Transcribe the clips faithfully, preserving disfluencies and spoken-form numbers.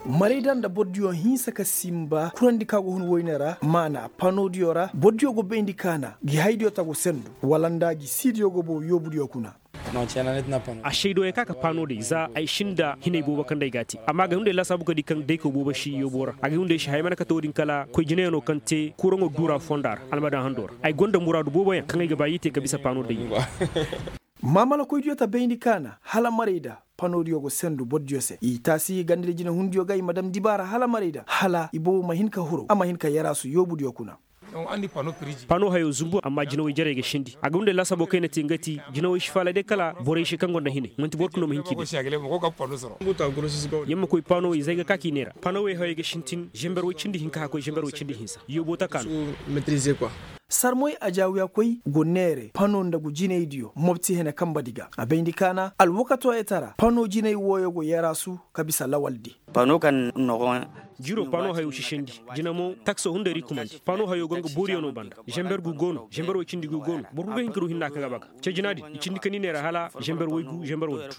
Marayda nda bordiyo hinsa ka simba kurandi ka go hun woyne ra maana panodiyo ra bordiyo go bayndi kaana gi haydiyo tagu sendu wala nda gi siidiyo go bow yoobudiyo kuna. A saydo ya ka ka pano day za ay sinda hinay boobo kaŋ day ga a te amma ga hunday laasaabu ka di kaŋ day ka boobo si yoobo ra a ga hunday si haya mana kate wo-din kala koy jinayaŋo kaŋ te kuraŋo duura fonda ra almadaŋ hando ra ay gonda muraadu boobo yaŋ kaŋ ay ga ba i te ka bisa pano day. Maamala koydiyo ta bayndi kaana hala maray da panodiyo go sendu bordiyo se i taasi ganda di jinahundiyo ga i ma dam dibaara hala maray da hala i boobo ma hin ka huru a ma hin ka yaraasu yoobudiyo kuna. Pano hayo zumbu amma jinawey jarey ga sindi a ga hunday laasaabo kaŋ ay na te nga ti jinawey si faala day kala borey se kaŋ gonda hinay manti boro kulu no ma hin k'i bay. Yer ma koy panowey za ay ga ka k'i neera panowey hayo ay ga sintin zember woy cindi hinka haka koy zember woy cindi hinsa yoobo taka no. Sarmoy ajaawiya koy go neere pano nda gu jinaydiyo mopti hene kamba di ga a bayndi kaana alwakatooyey tara pano jinay wooyo go yaraasu ka bisa lawaldi. Pano kaŋ nogo. Jiro pano hayo si sendi jina mo takso hunday ra i kumandi pano hayo go nga booriyo no banda zember gu go no zember woy cindi gu go no boro kulu ga hin ka du hinna kaŋ ga baga. Cejinaadin i cindi ka ni neera hala zember woy gu zember woy gu.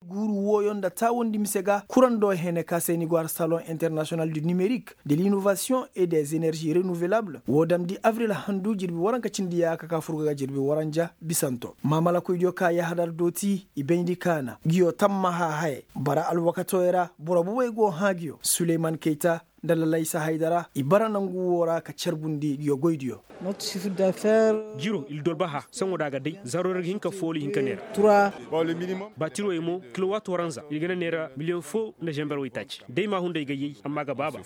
Guuru wooyo nda taawandi mise ga kurando hene ka se ni go har salon international du nimerik de l'innovation et des energies renouvelables woo damndi avril handu jirbi waranka cindi yaaka ka fur ga ga jirbi waranja bisanto maamalakoydiyo ka yahadar dooti i bayndi kaana nguyo tammaha hayey bara alwakatooyey ra boro bobey go hã nguyo suleyman kayta nda lalaysa haydara i bara nangu woo ra ka carbundi nguyo goydiyo. Jiro ildorbaha saŋo da a ga day zaro ra ga hin ka fooli hinka neera. Baatiroyey mo kilowaat waranza ir ga na neera miliyoŋ foo nda zember waytaaci day ma hunday ga yay amma ga baaba.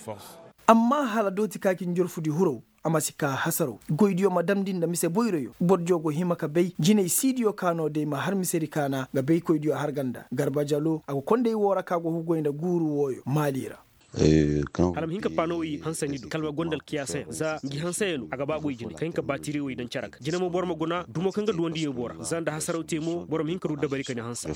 Amma hala dooti ka ci njorfudi huraw a ma si kaa hasaraw goydiyo ma damndi nda mise boyroyo bordiyo go hima ka bay jinay siidiyo ka no day ma har misedi kaana nga baykoydiyo har ganda garba jalo a go konday woo ra ka go hugoy nda guuru wooyo maali ra. Hala ma hin ka paanowey hansandi do kala ma gonda alkiyaasayaŋ za ngi hansayano a ga baa goy jine ka hin ka baatiriwey daŋ cere ga jine mo boro ma guna dumo kaŋ ga duwandi yoobo ra za nda hasaraw te mo boro ma hin ka du dabari ka ni hanse.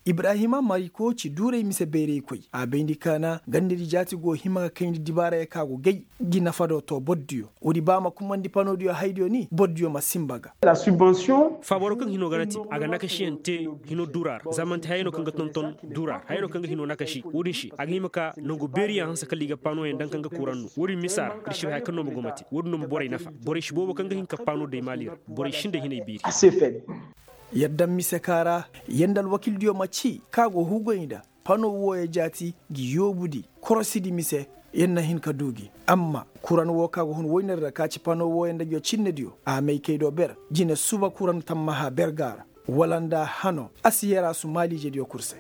Ibrahima mariko ci duuray mise bayraykoy a bayndi kaana gandadi jaati go hima ka kayndi dibaarayey kaŋ a go gay ngi nafa do to bordiyo woodi ba a ma kumandi panodiyo haydiyo ni bordiyo ma sinba ga. Faabaro kaŋ hino ga na te a ga nakasiyaŋ te hino duura ra za man'ti hayey no kaŋ ga tonton duura ra hayey no kaŋ ga hino nakasi woodin se a ga hima ka nangu beeriyaŋ hanse kala i ga paanoyaŋ daŋ kaŋ ga kuran no woodin misa ra ir si bay haya kaŋ no ma go ma te woodin no ma borey nafa borey si boobo kaŋ ga hin ka paano day maali ra borey sinda hinay biiri. Yadda mise ka ra yanda alwakildiyo ma ci ka go hugoy nda pano wooyo jaati ngi yoobudi korosidi mise yer na hin ka du gi amma kuran woo ka go hun woyner ra ka ci pano wooyo nda nguyo cinnediyo a may kay do ber jine suba kuran tammaha ber ga a ra wala nda hano a si yaraasu maaliijediyo kul se.